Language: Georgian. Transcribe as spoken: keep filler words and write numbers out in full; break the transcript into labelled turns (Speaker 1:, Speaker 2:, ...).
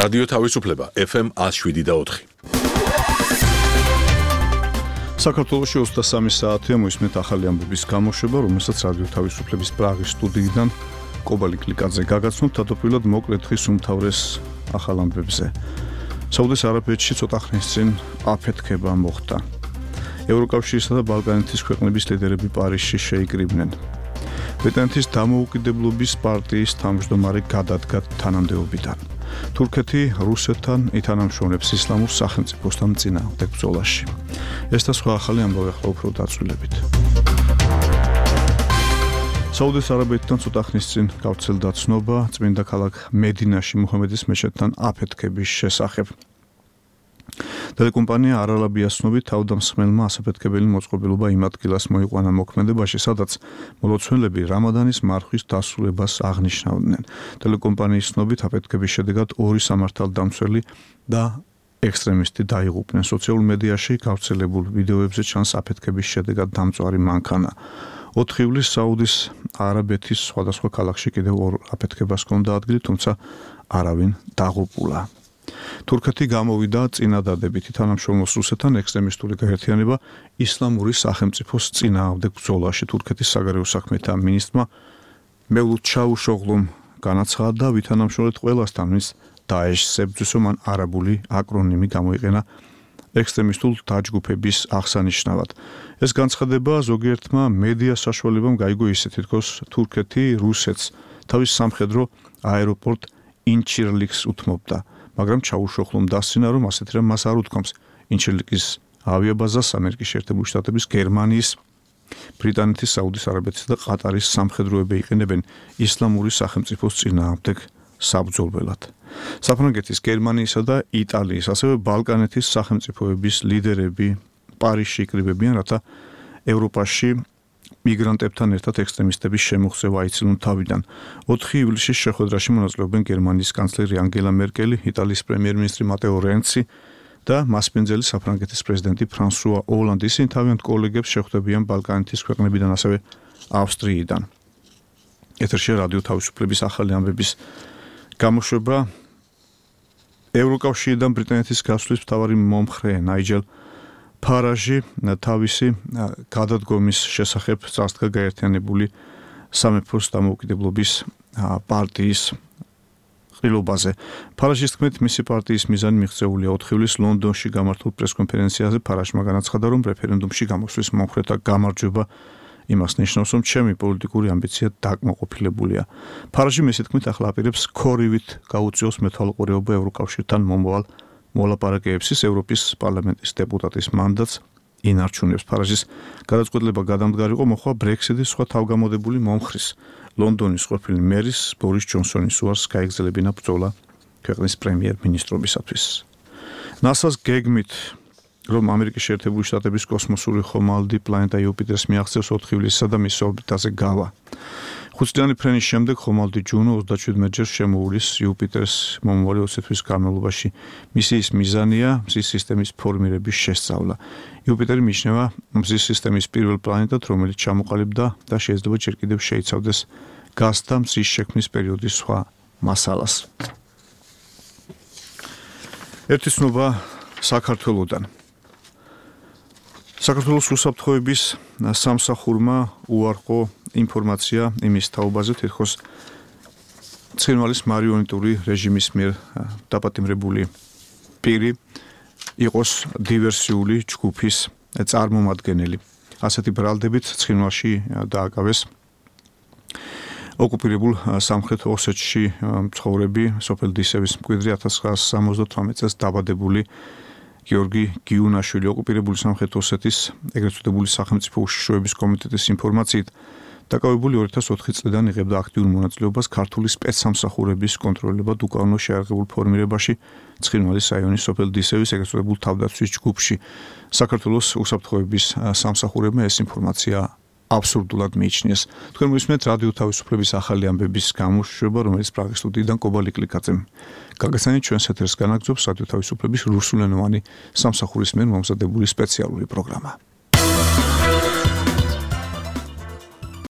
Speaker 1: რადიო თავისუფლება ეფ ემ one oh seven და four.
Speaker 2: საქართველოში ოცდასამი საათია მოისმენთ ახალი ამბების გამოშვება, რომელსაც რადიო თავისუფლების პრაღის სტუდიიდან კობალი კლიკაძე გაგაცნობთ თავდაპირველად მოკლედ ხის უმთავრეს ახალ ამბებზე. საუდის არაბეთში ცოტა ხნის წინ აფეთქება მოხდა. ევროკავშირისა და ბალკანეთის ქვეყნების ლიდერები პარიზში შეიკრიბნენ. ბრიტანეთის დამოუკიდებლობის პარტიის თავმჯდომარე გადადგა თანამდებობიდან. თურქეთი რუსეთთან ითანამშრომლებს ისლამურ სახელმწიფოსთან წინააღმდეგ ბრძოლაში. ეს და სხვა ახალი ამბავი ახლა უფრო დაწვრილებით. საუდის არაბეთთან ცოტა ხნის წინ გავრცელდა ცნობა წმინდა ქალაქ მედინაში მუჰამედის მეჩეთთან აფეთქების შესახებ. ტელეკომპანია არალაბიას ცნობით თავდამსხმელმა ასაფეთქებელი მოწყობილობა იმ ადგილას მოიყვანა მოქმედებაში, სადაც მოლოცველები რამადანის მარხვის დასრულებას აღნიშნავდნენ. ტელეკომპანიის ცნობით აფეთქების შედეგად ორი სამართალდამცველი და ექსტრემისტი დაიღუპნენ. სოციალურ მედიაში გავრცელებულ ვიდეოებზე ჩანს აფეთქების შედეგად დამწვარი მანქანა. ოთხი ივლისს საუდის არაბეთის სხვადასხვა ქალაქში კიდევ ორ აფეთქებას ჰქონდა ადგილი, თუმცა არავინ დაღუპულა. თურქეთი გამოვიდა წინადადებით თანამშრომლობს რუსეთთან ექსტრემისტული გაერთიანება ისლამური სახელმწიფოს წინააღმდეგ ბრძოლაში. თურქეთის საგარეო საქმეთა მინისტრმა მევლութ ჩავუშოღლუმ განაცხადა და ვითანამშრომლეთ ყველასთან, ვინც დაეშს ებრძვისო, მან არაბული აკრონიმი გამოიყენა ექსტრემისტულ დაჯგუფების აღსანიშნავად. ეს განცხადება ზოგიერთმა მედია საშუალებამ გაიგო ისე, თითქოს თურქეთი რუსეთს თავის სამხედრო აეროპორტ ინჩირლიკს უთმობდა. მაგრამ ჩაუშოხლომ დასცინა, რომ ასეთი რამ მას არ უთქვამს. ინჩირლიკის ავიაბაზას ამერიკის შეერთებული შტატების, გერმანიის, ბრიტანეთის, საუდის არაბეთის და ყატარის სამხედროები იყენებენ ისლამური სახელმწიფოს წინააღმდეგ საბრძოლველად. საფრანგეთის, გერმანიისა და იტალიის, ასევე ბალკანეთის სახელმწიფოების ლიდერები პარიზში იკრიბებიან, რათა ევროპაში მიგრანტებთან ერთად ექსტრემისტების შემოღწევა აიცილონ თავიდან. ოთხი ივლისის შეხვედრაში მონაწილეობენ გერმანიის კანცლერი ანგელა მერკელი, იტალიის პრემიერ-მინისტრი მატეო რენცი და მასპინძელი საფრანგეთის პრეზიდენტი ფრანსუა ოლანდი. ისინი თავიანთ კოლეგებს შეხვდებიან ბალკანეთის ქვეყნებიდან, ასევე ავსტრიიდან. ეთერშია რადიო თავისუფლების ახალი ამბების გამოშვება. ევროკავშირიდან ბრიტანეთის გასვლის მთავარი მომხრე ნაიჯელ ფარაჟი თავისი გადადგომის შესახებ წარსდგა გაერთიანებული სამეფოს დამოუკიდებლობის პარტიის ყრილობაზე. ფარაჟის თქმით, მისი პარტიის მიზანი მიღწეულია. ოთხი ივლისს ლონდონში გამართულ პრესკონფერენციაზე ფარაჟმა განაცხადა, რომ რეფერენდუმში გამოსვლის მომხრეთა გამარჯვება იმას ნიშნავს, რომ ჩემი პოლიტიკური ამბიცია დაკმაყოფილებულია. ფარაჟი მისი თქმით ახლა აპირებს ქორივით გაუწიოს მეთვალყურეობა ევროკავშირთან მომავალ მოლაპარაკებებს. ევროპის პარლამენტის დეპუტატის მანდატს ინარჩუნებს. ფარაჟის გადაწყვეტილება გადამდგარიყო მოხდა ბრექსიტის სხვა თავგამოდებული მომხრის, ლონდონის ყოფილი მერის ბორის ჯონსონის უარს გაეგზელებინა ბრძოლა ქვეყნის პრემიერ-მინისტრობისათვის. ნასას გეგმით, რომ ამერიკის შეერთებული შტატების კოსმოსური ხომალდი პლანეტა იუპიტერს მიაღწევს ოთხი ივლისსა და მის ორბიტაზე გავა. ხუთწლიანი ფრენის შემდეგ ხომალდი ჯუნო ოცდაშვიდმეტ ჯერ შემოუვლის იუპიტერს მომავალი ოცი თვის განმავლობაში. მისიის მიზანია მზის სისტემის ფორმირების შესწავლა. იუპიტერი მიიჩნევა მზის სისტემის პირველ პლანეტად, რომელიც ჩამოყალიბდა და შეიძლება ჯერ კიდევ შეიცავდეს გაზთა მზის შექმნის პერიოდის სხვა მასალას. ერთი ცნობა საქართველოდან. საქართველოს უსაფრთხოების სამსახურმა უარყო ინფორმაცია იმის თაობაზე, თითქოს ცხინვალის მარიონეტული რეჟიმის მიერ დაპატიმრებული პირი იყოს დივერსიული ჯგუფის წარმომადგენელი. ასეთი ბრალდებით ცხინვალში დააკავეს ოკუპირებულ სამხრეთ ოსეთში მცხოვრები სოფელ დისევის მკვიდრი ათას ცხრაასი სამოცდათვრამეტ წელს დაბადებული გიორგი გიუნაშვილი. ოკუპირებული სამხრეთ ოსეთის ეგრეთ წოდებული სახელმწიფო უშიშროების კომიტეტის ინფორმაციით დაკავებული ორი ათას ოთხი წლიდან იღებდა აქტიურ მონაწილეობას ქართული სპეცსამსახურების კონტროლებად უკანონო შეიარაღებულ ფორმირებაში ცხინვალის რაიონის სოფელ დისევის ეგრეთ წოდებულ თავდაცვის ჯგუფში. საქართველოს უსაფრთხოების სამსახურებმა ეს ინფორმაცია აბსურდულად მიიჩნიეს. თქვენ მისმენთ რადიო თავისუფლების ახალი ამბების გამოშვება, რომელიც პრაღის სტუდიიდან კობალი კლიკაძემ გაგაცანით ჩვენს ეთერს განაგრძობს რადიო თავისუფლების რუსულენოვანი სამსახურის მიერ მომზადებული სპეციალური პროგრამა.